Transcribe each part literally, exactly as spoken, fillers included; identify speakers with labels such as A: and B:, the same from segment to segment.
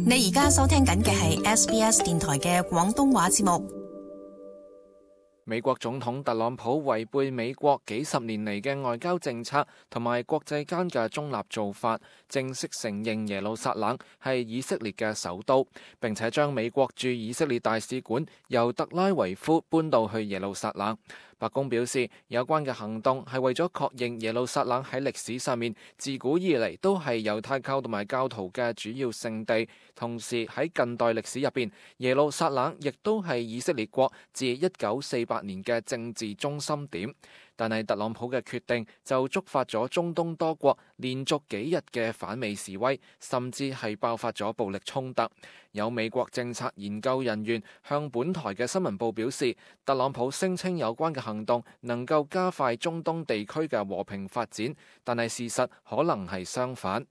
A: 你而家收聽緊嘅係 S B S 電台嘅廣東話節目。
B: 美國總統特朗普違背美國幾十年嚟嘅外交政策同埋國際間嘅中立做法，正式承認耶路撒冷係以色列嘅首都，並且將美國駐以色列大使館由特拉維夫搬到去耶路撒冷。白宮表示，有關嘅行動係為咗確認耶路撒冷喺歷史上面自古以嚟都係猶太教同埋教徒嘅主要聖地，同時喺近代歷史入邊，耶路撒冷亦都係以色列國自一九四八年嘅政治中心點。但係特朗普嘅決定就觸發咗中東多國連續幾日嘅反美示威，甚至係爆發咗暴力衝突。有美國政策研究人員向本台嘅新聞報表示，特朗普聲稱有關嘅行動能夠加快中東地區嘅和平發展，但係事實可能係相反。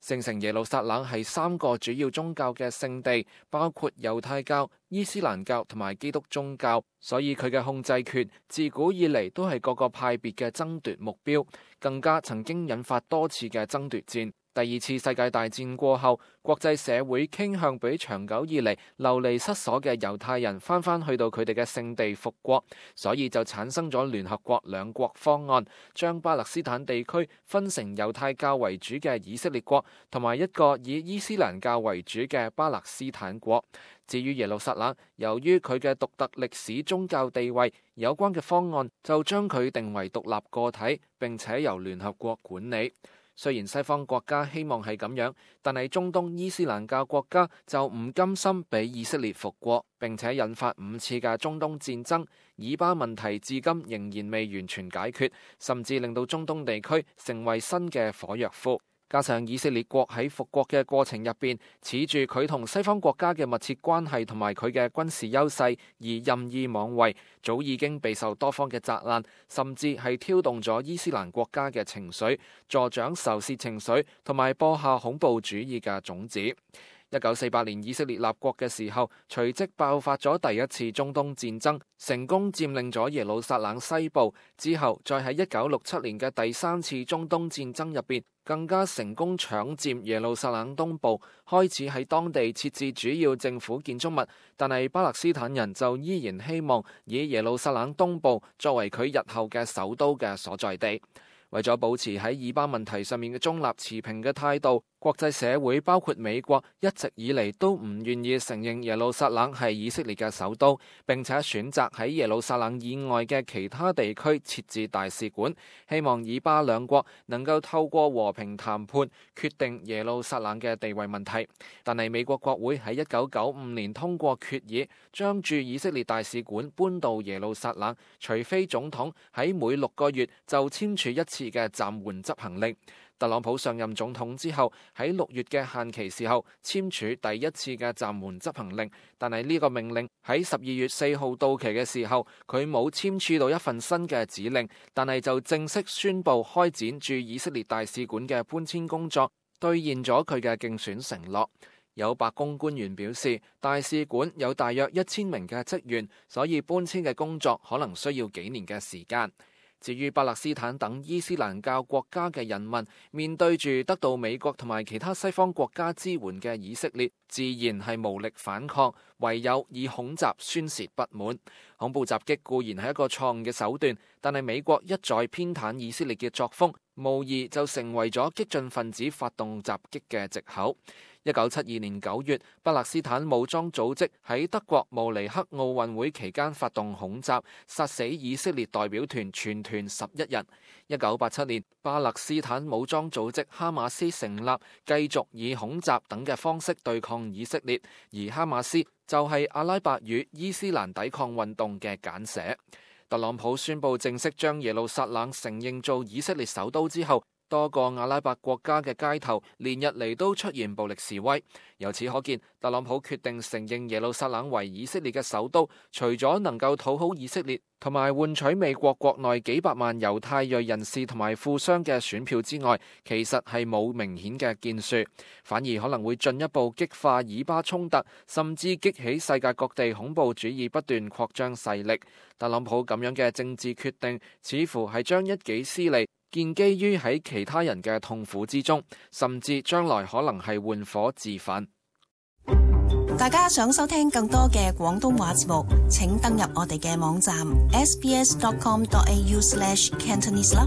B: 聖城耶路撒冷係三個主要宗教嘅聖地，包括猶太教、伊斯蘭教同埋基督宗教，所以佢嘅控制權自古以嚟都係各個派別嘅爭奪目標，更加曾經引發多次嘅爭奪戰。第二次世界大戰過後，國際社會傾向俾長久以嚟流離失所嘅猶太人翻返去到佢哋嘅聖地復國，所以就產生咗聯合國兩國方案，將巴勒斯坦地區分成猶太教為主嘅以色列國同埋一個以伊斯蘭教為主嘅巴勒斯坦國。至於耶路撒冷，由於佢嘅獨特歷史宗教地位，有關嘅方案就將佢定為獨立個體，並且由聯合國管理。雖然西方國家希望係咁樣，但係中東伊斯蘭教國家就唔甘心俾以色列復國，並且引發五次嘅中東戰爭。以巴問題至今仍然未完全解決，甚至令到中東地區成為新嘅火藥庫。加上以色列國喺復國嘅過程入邊，恃住佢同西方國家嘅密切關係同埋佢嘅軍事優勢而任意妄為，早已經備受多方嘅責難，甚至係挑動咗伊斯蘭國家嘅情緒，助長仇視情緒同埋播下恐怖主義嘅種子。一九四八年以色列立國嘅時候，隨即爆發咗第一次中東戰爭，成功佔領咗耶路撒冷西部。之後再喺一九六七年嘅第三次中東戰爭入邊，更加成功搶佔耶路撒冷東部，開始喺當地設置主要政府建築物。但係巴勒斯坦人就依然希望以耶路撒冷東部作為佢日後嘅首都嘅所在地。為咗保持喺以巴問題上面嘅中立持平嘅態度，國際社會包括美國一直以嚟都唔願意承認耶路撒冷係以色列嘅首都，並且選擇喺耶路撒冷以外嘅其他地區設置大使館，希望以巴兩國能夠透過和平談判決定耶路撒冷嘅地位問題。但係美國國會喺一九九五年通過決議，將駐以色列大使館搬到耶路撒冷，除非總統喺每六個月就簽署一次嘅暫緩執行令。特朗普上任總統之後，喺六月嘅限期時候簽署第一次嘅暫緩執行令，但係呢個命令喺十二月四號到期嘅時候，佢冇簽署到一份新嘅指令，但係就正式宣布開展駐以色列大使館嘅搬遷工作，兌現咗佢嘅競選承諾。有白宮官員表示，大使館有大約一千名嘅職員，所以搬遷嘅工作可能需要幾年嘅時間。至於巴勒斯坦等伊斯蘭教國家嘅人民，面對住得到美國同埋其他西方國家支援嘅以色列，自然係無力反抗，唯有以恐襲宣洩不滿。恐怖襲擊固然係一個錯誤嘅手段，但係美國一再偏袒以色列嘅作風，無疑就成為咗激進分子發動襲擊嘅藉口。一九七二年九月，巴勒斯坦武裝組織喺德國慕尼黑奧運會期間發動恐襲，殺死以色列代表團全團十一人。一九八七年，巴勒斯坦武裝組織哈馬斯成立，繼續以恐襲等嘅方式對抗以色列，而哈馬斯就係阿拉伯語伊斯蘭抵抗運動嘅簡寫。特朗普宣布正式將耶路撒冷承認做以色列首都之後，多個阿拉伯國家嘅街頭連日嚟都出現暴力示威。由此可見，特朗普決定承認耶路撒冷為以色列嘅首都，除咗能夠討好以色列同埋換取美國國內幾百萬猶太裔人士同埋富商嘅選票之外，其實係冇明顯嘅建樹，反而可能會進一步激化以巴衝突，甚至激起世界各地恐怖主義不斷擴張勢力。特朗普咁樣嘅政治決定，似乎係將一己私利建基於喺其他人嘅痛苦之中，甚至將來可能係換火自焚。
A: 大家想收聽更多嘅廣東話節目，請登入我哋嘅網站 s b s dot com dot a u slash cantonese 啦。